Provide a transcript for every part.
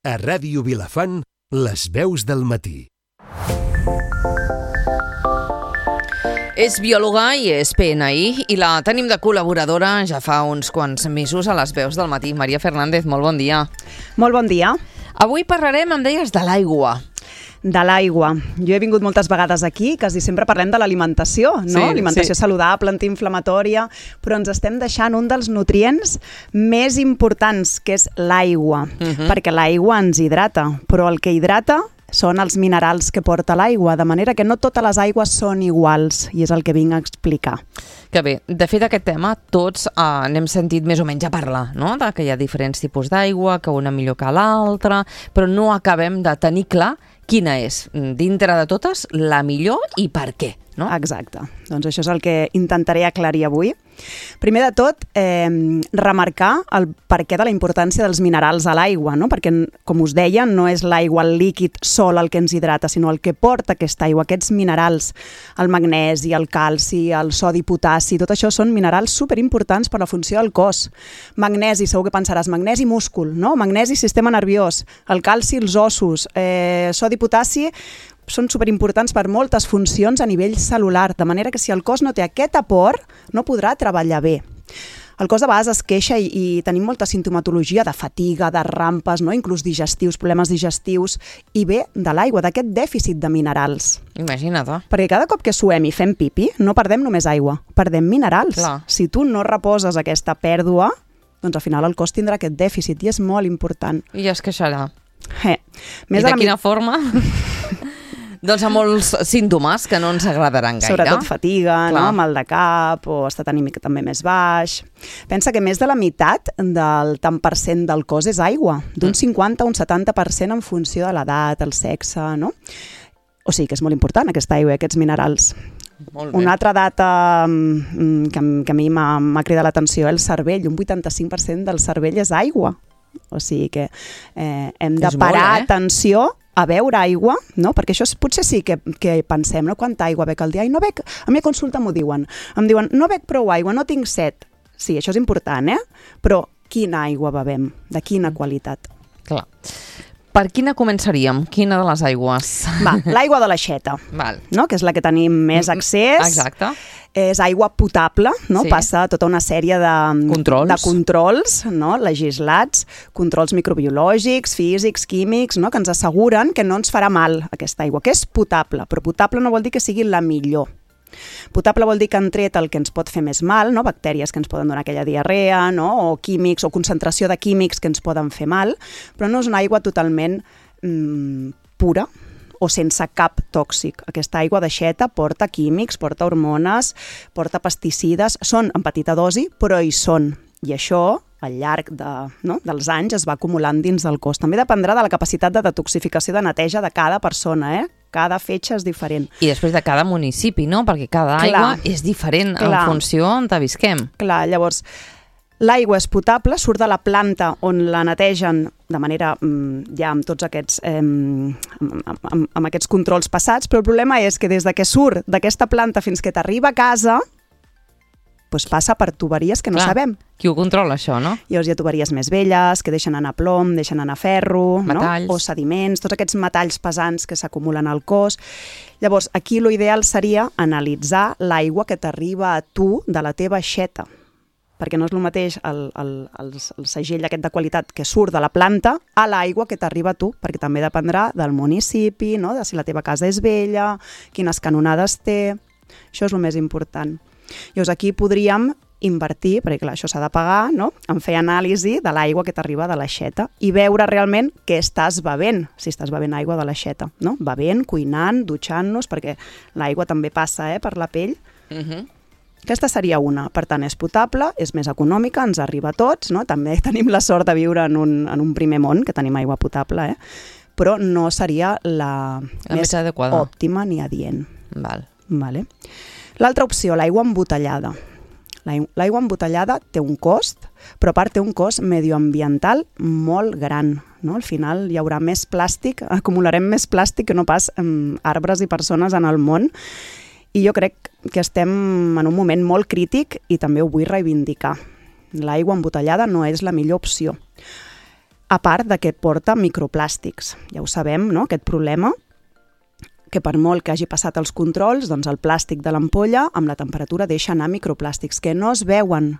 A Ràdio Vilafant, les veus del matí. És biòloga i és PNI i la tenim de col·laboradora ja fa uns quants mesos a les veus del matí. Maria Fernández, molt bon dia. Molt bon dia. Avui parlarem, em deies, de l'aigua. De l'aigua. Jo he vingut moltes vegades aquí, quasi sempre parlem de l'alimentació, no? Sí, alimentació saludable, antiinflamatòria, però ens estem deixant un dels nutrients més importants, que és l'aigua, perquè l'aigua ens hidrata, però el que hidrata són els minerals que porta l'aigua, de manera que no totes les aigües són iguals, i és el que vinc a explicar. Que bé, de fet aquest tema tots n'hem sentit més o menys a parlar, no? De que hi ha diferents tipus d'aigua, que una millor que l'altra, però no acabem de tenir clar quina és, dintre de totes, la millor i per què, no? Exacte. Doncs això és el que intentaré aclarir avui. Primer de tot, remarcar el perquè de la importància dels minerals a l'aigua, no? Perquè, com us deia, no és l'aigua, el líquid sol el que ens hidrata, sinó el que porta aquesta aigua, aquests minerals, el magnesi, el calci, el sodi, potassi, tot això són minerals superimportants per la funció del cos. Magnesi, segur que pensaràs, magnesi múscul, no? Magnesi sistema nerviós, el calci els ossos, sodi, potassi són superimportants per moltes funcions a nivell celular, de manera que si el cos no té aquest aport, no podrà treballar bé. El cos de vegades es queixa i tenim molta sintomatologia de fatiga, de rampes, no? Inclús digestius, problemes digestius, i ve de l'aigua, d'aquest dèficit de minerals. Imagina't. Perquè cada cop que suem i fem pipi, no perdem només aigua, perdem minerals. Clar. Si tu no reposes aquesta pèrdua, doncs al final el cos tindrà aquest dèficit i és molt important. I es queixarà. Més I de quina forma? Doncs amb molts símptomes que no ens agradaran gaire. Sobretot fatiga, no? Mal de cap o estat anímic també més baix. Pensa que més de la meitat del tant per cent del cos és aigua, d'un 50 a un 70% en funció de l'edat, el sexe, no? O sigui que és molt important aquesta aigua i aquests minerals. Molt bé. Una altra data que a mi m'ha cridat l'atenció, el cervell. Un 85% del cervell és aigua. O sigui que hem de parar atenció a beure aigua, no? Perquè això potser sí que pensem, no? Quanta aigua bec al dia? I no bec, a mi a consulta m'ho diuen. Em diuen, no bec prou aigua, no tinc set. Sí, això és important, Però quina aigua bevem? De quina qualitat? Clar. Per quina començaríem? Quina de les aigües? Va, l'aigua de l'aixeta, no? Que és la que tenim més accés. Exacte. És aigua potable, no? Sí. Passa tota una sèrie de controls, no? Legislats, controls microbiològics, físics, químics, no? Que ens asseguren que no ens farà mal aquesta aigua, que és potable, però potable no vol dir que sigui la millor. Potable vol dir que han tret el que ens pot fer més mal, no? Bactèries que ens poden donar aquella diarrea, no? O químics, o concentració de químics que ens poden fer mal, però no és una aigua totalment pura o sense cap tòxic. Aquesta aigua d'aixeta porta químics, porta hormones, porta pesticides, són en petita dosi, però hi són. I això, al llarg dels anys, es va acumulant dins del cos. També dependrà de la capacitat de detoxificació de neteja de cada persona, Cada fetge és diferent. I després de cada municipi, no? Perquè cada aigua és diferent en funció on visquem. Clar, llavors, l'aigua és potable, surt de la planta on la netegen de manera, ja amb tots aquests, amb aquests controls passats, però el problema és que des de que surt d'aquesta planta fins que t'arriba a casa, doncs passa per tuberies que no sabem. Qui ho controla, això, no? Llavors hi ha tuberies més velles, que deixen anar plom, deixen anar ferro, metalls, no? O sediments, tots aquests metalls pesants que s'acumulen al cos. Llavors, aquí l'ideal seria analitzar l'aigua que t'arriba a tu de la teva aixeta, perquè no és el mateix el segell aquest de qualitat que surt de la planta a l'aigua que t'arriba a tu, perquè també dependrà del municipi, no? De si la teva casa és vella, quines canonades té. Això és el més important. Llavors aquí podríem invertir, perquè clar, això s'ha de pagar, no? En fer anàlisi de l'aigua que t'arriba de l'aixeta i veure realment què estàs bevent, si estàs bevent aigua de l'aixeta, no? Bevent, cuinant, dutxant-nos, perquè l'aigua també passa per la pell. Aquesta seria una. Per tant, és potable, és més econòmica, ens arriba a tots, no? També tenim la sort de viure en un primer món, que tenim aigua potable, però no seria la més adequada, òptima ni adient. Vale. L'altra opció, l'aigua embotellada. L'aigua embotellada té un cost, però a part té un cost medioambiental molt gran, no? Al final hi haurà més plàstic, acumularem més plàstic que no pas arbres i persones en el món, i jo crec que estem en un moment molt crític i també ho vull reivindicar. L'aigua embotellada no és la millor opció. a part de que porta microplàstics. Ja ho sabem, no?, aquest problema, que per molt que hagi passat els controls, doncs el plàstic de l'ampolla amb la temperatura deixa anar microplàstics que no es veuen.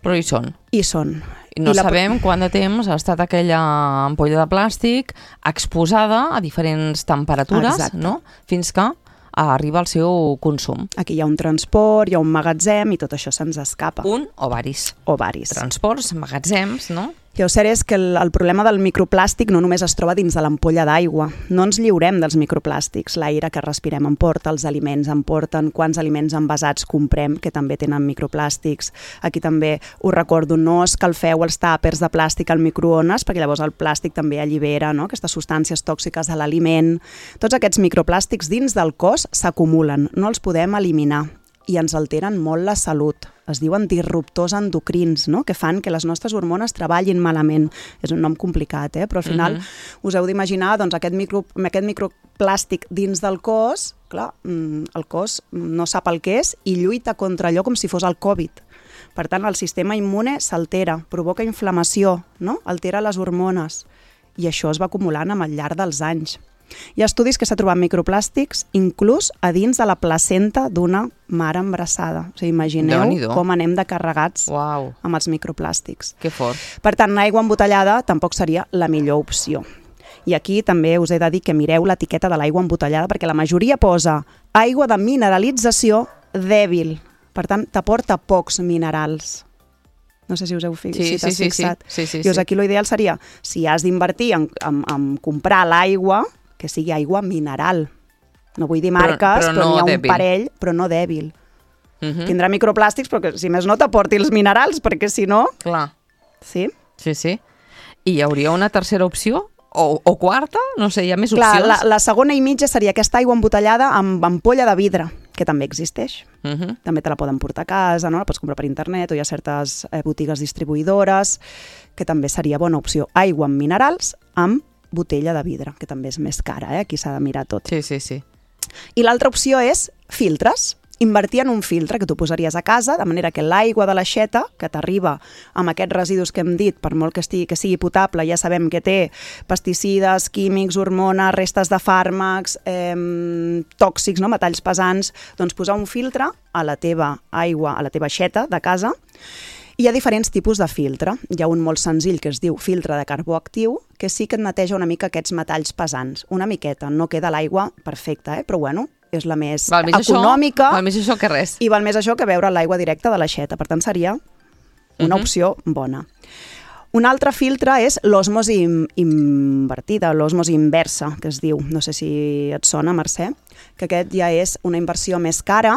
Però hi són. I són. I no sabem quant de temps ha estat aquella ampolla de plàstic exposada a diferents temperatures, no?, fins que arriba al seu consum. Aquí hi ha un transport, hi ha un magatzem i tot això se'ns escapa. O varis. Transports, magatzems, no? I el cert és que el problema del microplàstic no només es troba dins de l'ampolla d'aigua. No ens lliurem dels microplàstics. L'aire que respirem en porta, els aliments en porten, quants aliments envasats comprem, que també tenen microplàstics. Aquí també us recordo, no escalfeu els tàpers de plàstic al microones, perquè llavors el plàstic també allibera, no?, aquestes substàncies tòxiques de l'aliment. Tots aquests microplàstics dins del cos s'acumulen, no els podem eliminar i ens alteren molt la salut. Es diuen disruptors endocrins, no?, que fan que les nostres hormones treballin malament. És un nom complicat, però al final us heu d'imaginar doncs, aquest microplàstic dins del cos. Clar, el cos no sap el que és i lluita contra allò com si fos el Covid. Per tant, el sistema immune s'altera, provoca inflamació, no?, altera les hormones i això es va acumulant amb el llarg dels anys. Hi ha estudis que s'ha trobat microplàstics inclús a dins de la placenta d'una mare embarassada. O sigui, imagineu com anem de carregats amb els microplàstics. Que fort. Per tant, l'aigua embotellada tampoc seria la millor opció. I aquí també us he de dir que mireu l'etiqueta de l'aigua embotellada perquè la majoria posa aigua de mineralització dèbil. Per tant, t'aporta pocs minerals. No sé si us heu fixat. Sí. Llavors aquí l'ideal seria, si has d'invertir en comprar l'aigua, que sigui aigua mineral. No vull dir marques, però n'hi ha un parell, però no dèbil. Tindrà microplàstics, però que si més no t'aporti els minerals, perquè si no... Clar. Sí? Sí. I hi hauria una tercera opció? O quarta? No sé, hi ha més opcions? Clar, la segona i mitja seria aquesta aigua embotellada amb ampolla de vidre, que també existeix. També te la poden portar a casa, no? La pots comprar per internet, o hi ha certes botigues distribuïdores, que també seria bona opció. Aigua amb minerals, amb botella de vidre, que també és més cara, aquí s'ha de mirar tot. Sí. I l'altra opció és filtres. Invertir en un filtre que tu posaries a casa, de manera que l'aigua de l'aixeta, que t'arriba amb aquests residus que hem dit, per molt que sigui potable, ja sabem que té pesticides, químics, hormones, restes de fàrmacs, tòxics, no? Metalls pesants, doncs posar un filtre a la teva aigua, a la teva aixeta de casa. Hi ha diferents tipus de filtre. Hi ha un molt senzill que es diu filtre de carbó actiu, que sí que et neteja una mica aquests metalls pesants. Una miqueta, no queda l'aigua perfecta, però bueno, és la més econòmica. Val més això que res. I val més això que beure l'aigua directa de l'aixeta. Per tant, seria una opció bona. Un altre filtre és l'osmosi invertida, l'osmosi inversa, que es diu. No sé si et sona, Mercè, que aquest ja és una inversió més cara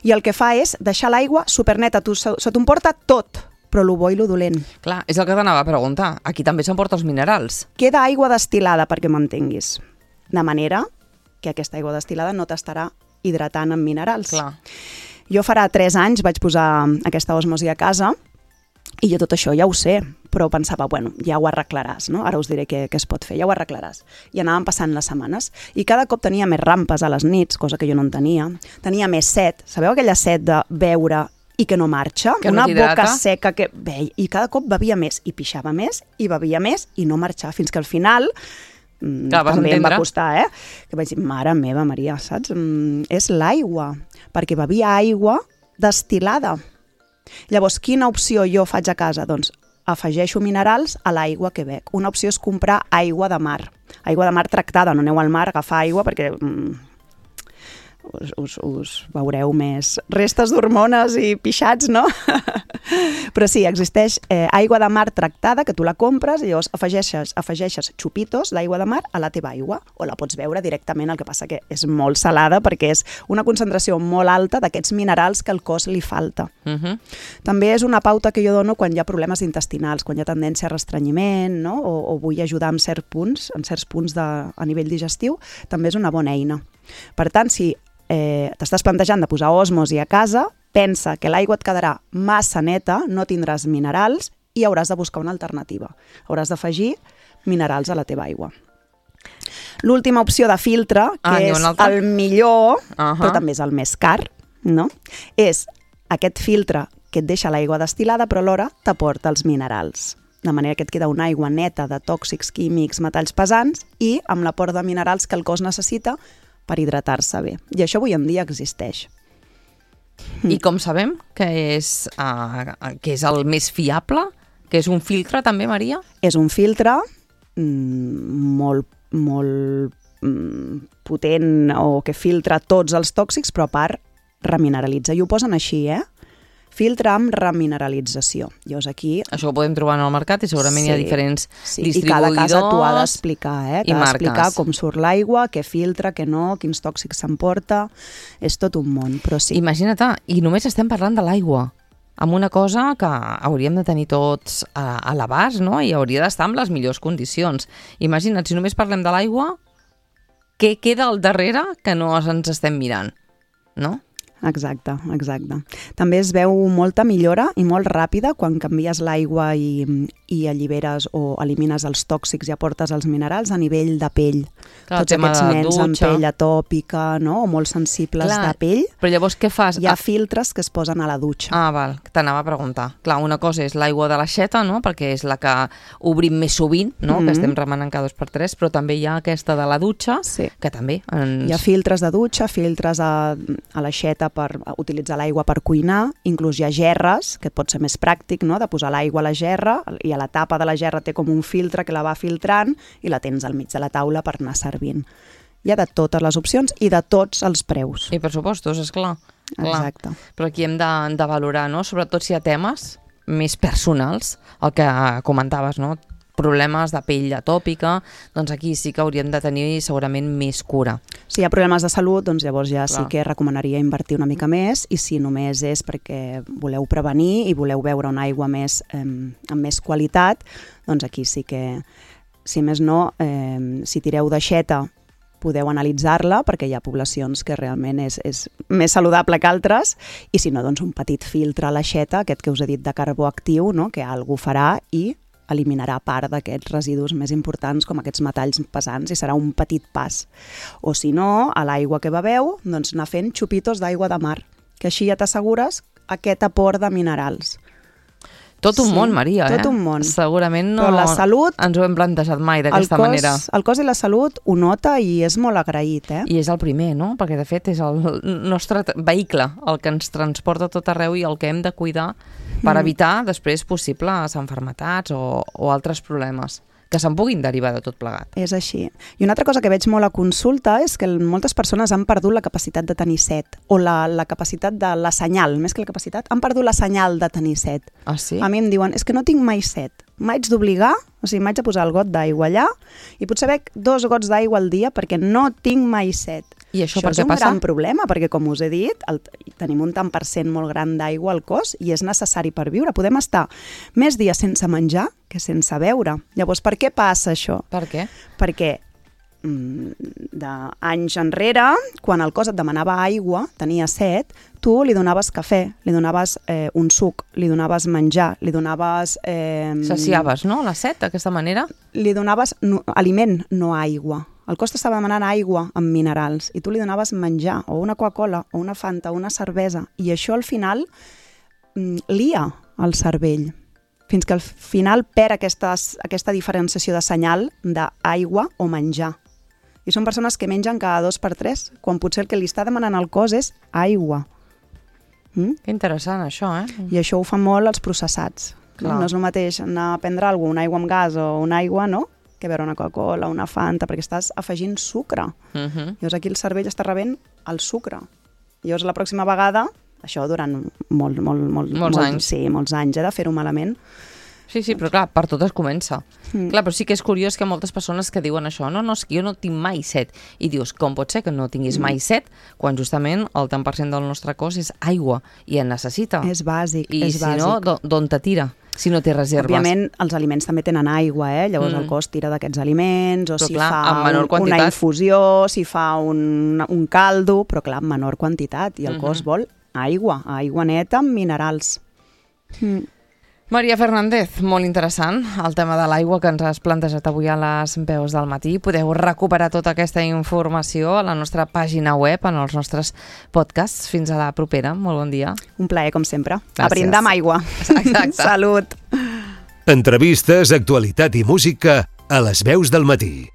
i el que fa és deixar l'aigua superneta. Se t'emporta tot, però lo bo i lo dolent. Clar, és el que t'anava a preguntar. Aquí també s'emporta els minerals. Queda aigua destil·lada, perquè m'entenguis. De manera que aquesta aigua destil·lada no t'estarà hidratant amb minerals. Clar. Jo farà 3 anys vaig posar aquesta osmosi a casa i jo tot això ja ho sé, però pensava, bueno, ja ho arreglaràs, no? Ara us diré què es pot fer, ja ho arreglaràs. I anàvem passant les setmanes i cada cop tenia més rampes a les nits, cosa que jo no en tenia. Tenia més set, sabeu aquella set de beure i que no marxa? Que una no boca seca que veia, i cada cop bevia més, i pixava més, i bevia més, i no marxava, fins que al final... també em va costar, que vaig dir, mare meva, Maria, saps? És l'aigua, perquè bevia aigua destil·lada. Llavors, quina opció jo faig a casa? Doncs afegeixo minerals a l'aigua que bec. Una opció és comprar aigua de mar. Aigua de mar tractada, no aneu al mar a agafar aigua perquè us veureu més restes d'hormones i pixats, no? Però sí, existeix aigua de mar tractada, que tu la compres i llavors afegeixes xupitos d'aigua de mar a la teva aigua, o la pots beure directament, el que passa que és molt salada perquè és una concentració molt alta d'aquests minerals que al cos li falta. També és una pauta que jo dono quan hi ha problemes intestinals, quan hi ha tendència a restrenyiment, no? O vull ajudar en certs punts a nivell digestiu, també és una bona eina. Per tant, si t'estàs plantejant de posar osmosi a casa, pensa que l'aigua et quedarà massa neta, no tindràs minerals i hauràs de buscar una alternativa. Hauràs d'afegir minerals a la teva aigua. L'última opció de filtre, que és el millor, però també és el més car, no? És aquest filtre que et deixa l'aigua destil·lada, però alhora t'aporta els minerals. de manera que et queda una aigua neta de tòxics químics, metalls pesants i amb l'aport de minerals que el cos necessita per hidratar-se bé. I això avui en dia existeix. I com sabem que és el més fiable? Que és un filtre també, Maria? És un filtre molt potent o que filtra tots els tòxics, però a part remineralitza. I ho posen així, filtre amb remineralització. Llavors aquí... Això ho podem trobar en el mercat i segurament hi ha diferents distribuïdors. I cada casa t'ho ha d'explicar, i marques. D'explicar com surt l'aigua, què filtra, què no, quins tòxics s'emporta. És tot un món, però sí. Imagina't, i només estem parlant de l'aigua, amb una cosa que hauríem de tenir tots a l'abast, no? I hauria d'estar en les millors condicions. Imagina't, si només parlem de l'aigua, què queda al darrere que no ens estem mirant, no? Exacte. També es veu molta millora i molt ràpida quan canvies l'aigua i alliberes o elimines els tòxics i aportes els minerals a nivell de pell. Clar, tots aquests nens amb pell atòpica, no? O molt sensibles de pell. Però llavors què fas? Hi ha filtres que es posen a la dutxa. Val, t'anava a preguntar. Clar, una cosa és l'aigua de l'aixeta, no? Perquè és la que obrim més sovint, no? Que estem remenant cada 2x3, però també hi ha aquesta de la dutxa, que també Hi ha filtres de dutxa, filtres a l'aixeta per utilitzar l'aigua per cuinar, inclús hi ha gerres, que pot ser més pràctic, no?, de posar l'aigua a la gerra, i a la tapa de la gerra té com un filtre que la va filtrant i la tens al mig de la taula per anar servint. Hi ha de totes les opcions i de tots els preus. I pressupostos, esclar. Exacte. Però aquí hem de valorar, no?, sobretot si hi ha temes més personals, el que comentaves, no?, problemes de pell atòpica, doncs aquí sí que hauríem de tenir segurament més cura. Si hi ha problemes de salut, doncs llavors ja sí que recomanaria invertir una mica més, i si només és perquè voleu prevenir i voleu beure una aigua amb més qualitat, doncs aquí sí que, si més no, si tireu d'aixeta, podeu analitzar-la, perquè hi ha poblacions que realment és més saludable que altres, i si no, doncs un petit filtre a l'aixeta, aquest que us he dit de carbó actiu, no?, que algú farà i eliminarà part d'aquests residus més importants com aquests metalls pesants i serà un petit pas. O si no, a l'aigua que beveu, doncs anar fent xupitos d'aigua de mar, que així ja t'assegures aquest aport de minerals. Tot un món, Maria, tot un món. Segurament no la salut, ens ho hem plantejat mai d'aquesta manera. El cos i la salut ho nota i és molt agraït, I és el primer, no? Perquè de fet és el nostre vehicle, el que ens transporta a tot arreu i el que hem de cuidar per evitar després possibles malalties o altres problemes que se'n puguin derivar de tot plegat. És així. I una altra cosa que veig molt a consulta és que moltes persones han perdut la capacitat de tenir set, o la capacitat de la senyal, més que la capacitat, han perdut la senyal de tenir set. Ah, sí? A mi em diuen, és que no tinc mai set, m'haig d'obligar, o sigui, m'haig de posar el got d'aigua allà i potser bec 2 gots d'aigua al dia perquè no tinc mai set. I això per és què un passa? gran problema, perquè com us he dit, tenim un tant per cent molt gran d'aigua al cos i és necessari per viure. Podem estar més dies sense menjar que sense beure. Llavors, per què passa això? Per què? Perquè d'anys enrere, quan el cos et demanava aigua, tenia set, tu li donaves cafè, li donaves un suc, li donaves menjar, li donaves... Saciaves, no?, la set, d'aquesta manera? Li donaves aliment, no aigua. El cos t'estava demanant aigua amb minerals i tu li donaves menjar, o una Coca-Cola, o una Fanta, o una cervesa, i això al final lia el cervell, fins que al final perd aquesta diferenciació de senyal d'aigua o menjar. I són persones que mengen cada 2x3, quan potser el que li està demanant al cos és aigua. Que interessant, això, I això ho fan molt els processats. No és el mateix anar a prendre alguna cosa, una aigua amb gas o una aigua, no?, que beure una Coca-Cola, una Fanta, perquè estàs afegint sucre. Llavors aquí el cervell està rebent el sucre. Llavors la pròxima vegada, això durant molts anys. Sí, molts anys, de fer-ho malament. Sí, però clar, per tot es comença. Clar, però sí que és curiós que moltes persones que diuen això, no, és que jo no tinc mai set. I dius, com pot ser que no tinguis mai set quan justament el tant per cent del nostre cos és aigua i en necessita? És bàsic, I si no, d'on te tira? Si no té reserves. Òbviament, els aliments també tenen aigua, llavors el cos tira d'aquests aliments, o si fa una infusió, si fa un caldo, però clar, en menor quantitat, i el cos vol aigua neta amb minerals. Maria Fernández, molt interessant el tema de l'aigua que ens has plantejat avui a les veus del matí. Podeu recuperar tota aquesta informació a la nostra pàgina web, en els nostres podcasts. Fins a la propera. Molt bon dia. Un plaer, com sempre. Gràcies. A brindar amb aigua. Exacte. Salut. Entrevistes, actualitat i música a Les Veus del Matí.